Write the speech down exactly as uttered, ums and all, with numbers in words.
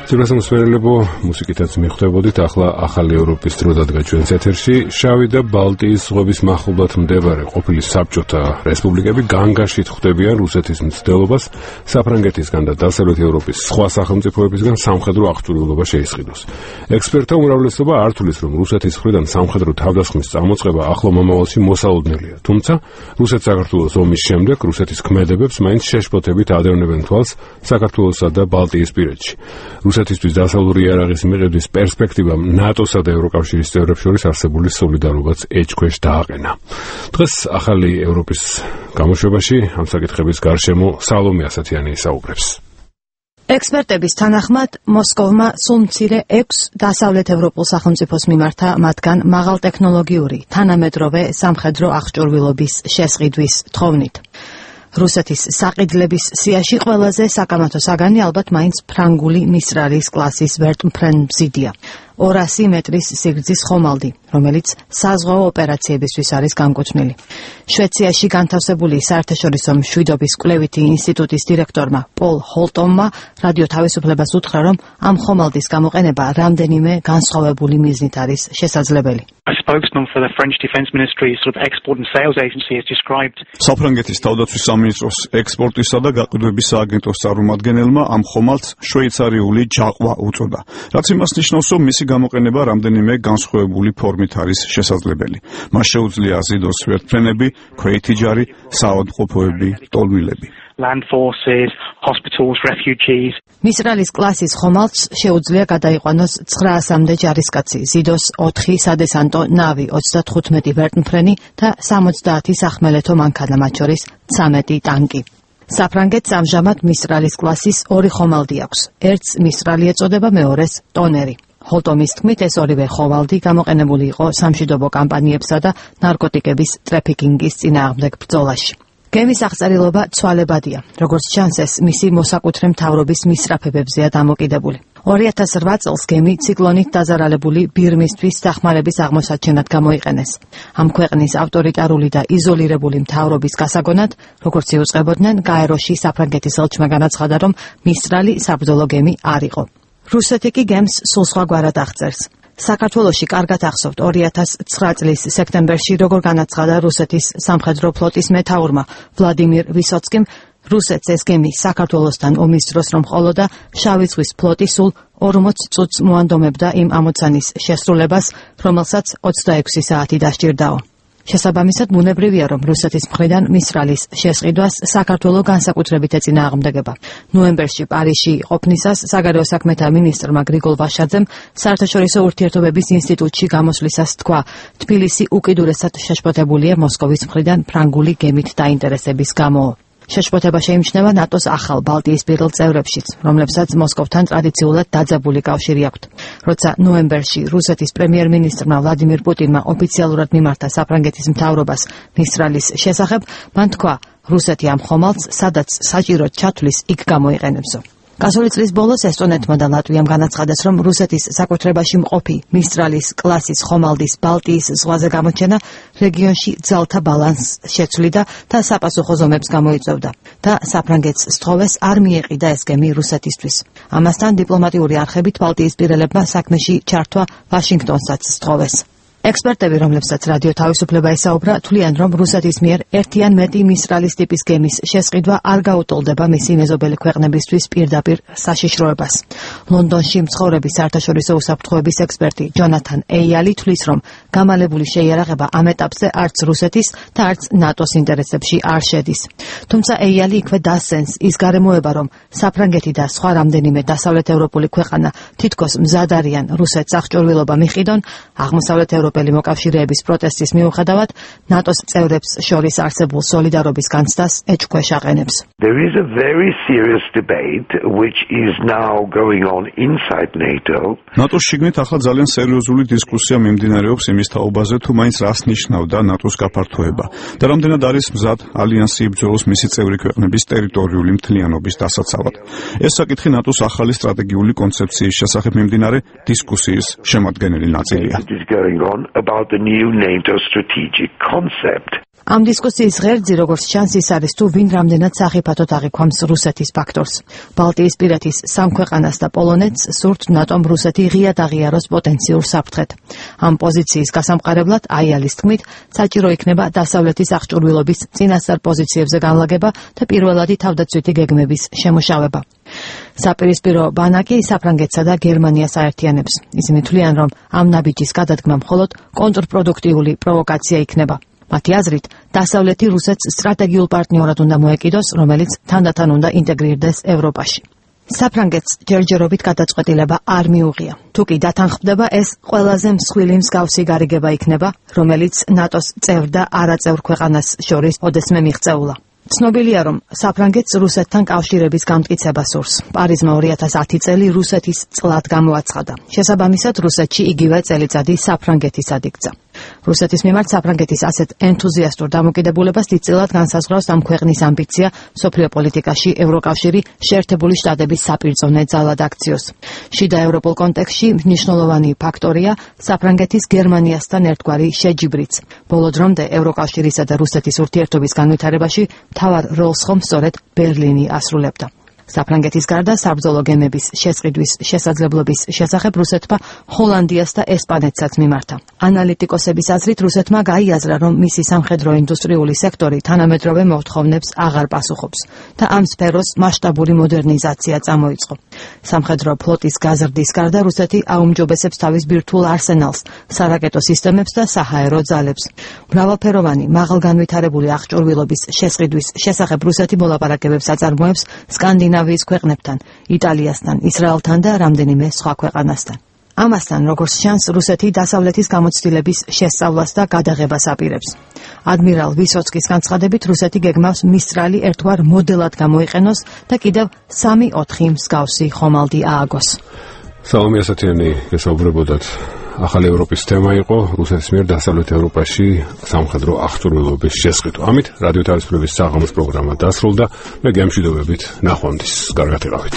Ძირფასი მსმენელებო, მუსიკითაც მიხვდებოდით, ახლა ახალი ევროპის დრო დადგა ჩვენს ეთერში. შავი და ბალტიის ზღვების მახლობლად მდებარე ყოფილი საბჭოთა რესპუბლიკები განგაშით ხვდებიან რუსეთის მცდელობას საფრანგეთისგან და დასავლეთ ევროპის სხვა სახელმწიფოებისგან სამხედრო აღჭურვილობა შეისყიდოს. ექსპერტთა უმრავლესობა არ თვლის, რომ რუსეთის მხრიდან სამხედრო თავდასხმის წამოწყება ახლო მომავალში მოსალოდნელია. თუმცა, რუსეთ-საქართველოს ომის შემდეგ რუსეთის ქმედებებს მაინც შეშფოთებით ადევნებენ თვალს საქართველოსა და ბალტიის პირეთში. რუსეთისთვის დასავლური იარაღის მიღების პერსპექტივამ ნატოსა და ევროკავშირის წევრებს შორის არსებული სოლიდარობაც ეჭქვეშ დააყენა. დღეს ახალი ევროპის გამოშვებაში ამ საკითხების გარშემო სალომე ასათიანი ისაუბრებს. ექსპერტების თანახმად, მოსკოვმა სულ მცირე ექვს დასავლეთ ევროპულ სახელმწიფოს მიმართა მათგან მაღალტექნოლოგიური, თანამედროვე სამხედრო აღჭურვილობის შესყიდვის თხოვნით. რუსეთის საყიდლების სიაში ყველაზე საკამათო საგანი ალბათ მაინც ფრანგული მისრალის კლასის ვერტმფრენ-მზიდია. ორასი მეტრის სიგრძის ხომალდი, რომელიც საზღვაო ოპერაციებისთვის არის განკუთვნილი. შვეციაში განთავსებული საერთაშორისო მშვიდობის კვლევითი ინსტიტუტის დირექტორმა პოლ ჰოლტომმა რადიო თავისუფლებას უთხრა, რომ ამ ხომალდის გამოყენება რამდენიმე განსხვავებული მიზნით არის შესაძლებელი. საფრანგეთის თავდაცვის სამინისტროს ექსპორტისა და გაყიდვების სააგენტოს წარმომადგენელმა ამ ხომალდს შვეიცარიული ჯაყვა უწოდა, რაც იმას ნიშნავს, რომ მისი გამოყენება რამდენიმე განსხვავებული ფორმით არის შესაძლებელი. მას შეუძლია აზიდოს ვერტმფრენები, ქვეითი ჯარი, საავადმყოფოები, ტოლმილები. Land forces, hospitals, refugees. მისრალის კლასის ხომალდს შეუძლია გადაიყვანოს ცხრაასამდე ჯარისკაცი, ზიდოს ოთხი სადესანტო ნავი, ოცდათხუთმეტი ვერტმფრენი და სამოცდაათი სახმელეთო მანქანა, მათ შორის ცამეტი ტანკი. საფრანგეთს ამჟამად მისრალის კლასის ორი ხომალდი აქვს. ერთს მისრალი ეწოდება, მეორეს ტონერი. ჰოლტომის თქმით, ეს ორივე ხომალდი გამოყენებული იყო სამშვიდობო კამპანიებსა და ნარკოტიკების ტრაფიკინგის წინააღმდეგ ბრძოლაში. გემის აღწერილობა ცვალებადია, როგორც ჩანს, ეს მისი მოსაკუთრე მთავრობის მისწრაფებებზეა დამოკიდებული. ორი ათას რვა წელს გემი ციკლონით დაზარალებული ბირმისთვის დახმარების აღმოსაჩენად გამოიყენეს. ამ ქვეყნის ავტორიტარული და იზოლირებული მთავრობის გასაგონად, როგორც იუწყებოდნენ, გაეროში საფრანგეთის ელჩმა განაცხადა, რომ მისრალი საბრძოლო გემი არ იყო. რუსეთი კი გემს სულ სხვაგვარად აღწერს. საქართველოში კარგად ახსოვთ ორი ათას ცხრა წლის სექტემბერში, როგორ განაცხადა რუსეთის სამხედრო ფლოტის მეთაურმა ვლადიმირ ვისოცკიმ, რუსეთს ეს გემი საქართველოსთან ომის დროს რომ ყოლოდა, შავი ზღვის ფლოტი სულ ორმოც წუთს მოანდომებდა იმ ამოცანის შესრულებას, რომელსაც ოცდაექვსი საათი დასჭირდაო. შესაბამისად, ბუნებრივია, რომ რუსეთის მხრიდან მისრალის შესყიდვას საქართველო განსაკუთრებით ეწინააღმდეგება. ნოემბერში პარიზში ყოფნისას საგარეო საქმეთა მინისტრმა გრიგოლ ვაშაძემ საერთაშორისო ურთიერთობების ინსტიტუტში გამოსვლისას თქვა, თბილისი უკიდურესად შეშფოთებულია მოსკოვის მხრიდან ფრანგული გემით დაინტერესების გამო. შეშფოთება შეიმჩნევა ნატოს ახალ ბალტიისპირელ წევრებშიც, რომლებსაც მოსკოვთან ტრადიციულად დაძაბული კავშირი აქვთ. როცა ნოემბერში რუსეთის პრემიერ-მინისტრმა ვლადიმირ პუტინმა ოფიციალურად მიმართა საფრანგეთის მთავრობას მისრალის შესახებ, მან თქვა, რუსეთი ამ ხომალდს, სადაც საჭიროდ ჩათვლის, იქ გამოიყენებსო. გასული წლის ბოლოს ესტონეთმა და ლატვიამ განაცხადეს, რომ რუსეთის საკუთრებაში მყოფი მისრალის კლასის ხომალდის ბალტიის ზღვაზე გამოჩენა რეგიონში ძალთა ბალანსს შეცვლიდა და საპასუხო ზომებს გამოიწვევდა და საფრანგეთს სთხოვეს არ მიეყიდა ეს გემი რუსეთისთვის. ამასთან დიპლომატიური არხებით ბალტიისპირელებმა საქმეში ჩართვა ვაშინგტონსაც სთხოვეს. ექსპერტები, რომლებსაც რადიო თავისუფლება ესაუბრა, თვლიან, რომ რუსეთის მიერ ერთი ან მეტი მისრალის ტიპის გემის შესყიდვა არ გაუტოლდება მისი მეზობელი ქვეყნებისთვის პირდაპირ საშიშროებას. ლონდონში მცხოვრები საერთაშორისო უსაფრთხოების ექსპერტი ჯონათან ეიალი თვლის, რომ გამალებული შეიარაღება ამ ეტაპზე არც რუსეთის და არც ნატოს ინტერესებში არ შედის. თუმცა ეიალი იქვე დასცენს ის გარემოება, რომ საფრანგეთი და სხვა რამდენიმე დასავლეთ ევროპული ქვეყანა თითქოს მზად არიან რუსეთს აღჭურვილობა მიყიდონ, აღმოსავლეთ ევროპის მოკავშირეების პროტესტის მიუხედავად, ნატოს წევრებს შორის არსებულ სოლიდარობის განცდას ეჭქვეშ აყენებს. There is a very serious debate which is now going on inside NATO. ნატოს შიგნით ახლა ძალიან სერიოზული დისკუსია მიმდინარეობს იმის თაობაზე, თუ მაინც რას ნიშნავდა ნატოს გაფართოება და რამდენად არის მზად ალიანსი იბრძოლოს მისი წევრი ქვეყნების ტერიტორიული მთლიანობის დასაცავად. ეს საკითხი ნატოს ახალი სტრატეგიული კონცეფციის შესახებ მიმდინარე დისკუსიის შემადგენელი ნაწილია. About the new NATO strategic concept. ამ დისკუსიის ღერძი, როგორც ჩანს, ის არის თუ ვინ რამდენად სახიფათოდ აღიქვამს რუსეთის ფაქტორს. ბალტიისპირეთის სამ ქვეყანას და პოლონეთს სურთ ნატომ რუსეთი ღიად აღიაროს პოტენციურ საფრთხედ. ამ პოზიციის გასამყარებლად აიალის თქმით, საჭირო იქნება დასავლეთის აღჭურვილობის წინასწარ პოზიციებზე განლაგება და პირველადი თავდაცვითი გეგმების შემუშავება. საპირისპირო ბანაკი საფრანგეთსა და გერმანიას აერთიანებს. ისინი თვლიან, რომ ამ ნაბიჯის გადადგმა მხოლოდ კონტრპროდუქტიული პროვოკაცია იქნება. მათი აზრით, დასავლეთი რუსეთს სტრატეგიულ პარტნიორად უნდა მოეკიდოს, რომელიც თანდათან უნდა ინტეგრირდეს ევროპაში. საფრანგეთს ჯერჯერობით გადაწყვეტილება არ მიუღია. თუ კი დათანხმდება, ეს ყველაზე მსხვილი მსგავსი გარიგება იქნება, რომელიც ნატოს წევრ და არაწევრ ქვეყანას შორის ოდესმე მიღწეულა. ცნობილია, რომ საფრანგეთს რუსეთთან კავშირების გამტკიცება სურს. პარიზმა ორი ათას ათი წელი რუსეთის წლად გამოაცხადა. შესაბამისად, რუსეთში იგივე წელიწადი საფრანგეთისად იქცა. რუსეთის მიმართ საფრანგეთის ასეთ ენთუზიასტურ დამოკიდებულებას დიდწილად განსაზღვრავს ამ ქვეყნის ამბიცია მსოფლიო პოლიტიკაში ევროკავშირი შეერთებული შტატების საპირწონე ძალად აქციოს. შიდა ევროპულ კონტექსტში მნიშვნელოვანი ფაქტორია საფრანგეთის გერმანიასთან ერთგვარი შეჯიბრიც. ბოლო დრომდე ევროკავშირისა და რუსეთის ურთიერთობის განვითარებაში მთავარ როლს ხომ სწორედ ბერლინი ასრულებდა. საფრანგეთის გარდა საბრძოლო გემების შესყიდვის შესაძლებლობის შესახებ რუსეთმა ჰოლანდიას და ესპანეთსაც მიმართა. ანალიტიკოსების აზრით, რუსეთმა გაიაზრა, რომ მისი სამხედრო ინდუსტრიული სექტორი თანამედროვე მოთხოვნებს აღარ პასუხობს და ამ სფეროს მასშტაბური მოდერნიზაცია წამოიწყო. სამხედრო ფლოტის გაზრდის გარდა რუსეთი აუმჯობესებს თავის ბირთვულ არსენალს, სარაკეტო სისტემებს და საჰაერო ძალებს. მრავალფეროვანი, მაღალგანვითარებული აღჭურვილობის შესყიდვის შესახებ რუსეთი მოლაპარაკებებს აწარმოებს სკანდინავიის ქვეყნებთან, იტალიასთან, ისრაელთან და რამდენიმე სხვა ქვეყანასთან. ამასთან, როგორც ჩანს, რუსეთი დასავლეთის გამოცდილების შესწავლას და გადაღებას აპირებს. ადმირალ ვისოცკის განცხადებით, რუსეთი გეგმავს მისტრალი ერთგვარ მოდელად გამოიყენოს და კიდევ სამი ოთხი მსგავსი ხომალდი ააგოს. სალომე ასათიანი გესაუბრებოდათ. ახალი ევროპის თემა იყო რუსეთის მიერ დასავლეთ ევროპაში სამხედრო აღჭურვილობის შესყიდვა. ამით რადიო თავისუფლების საღამოს პროგრამა დასრულდა. მე გემშვიდობებით ნახვამდის. კარგად იყავით.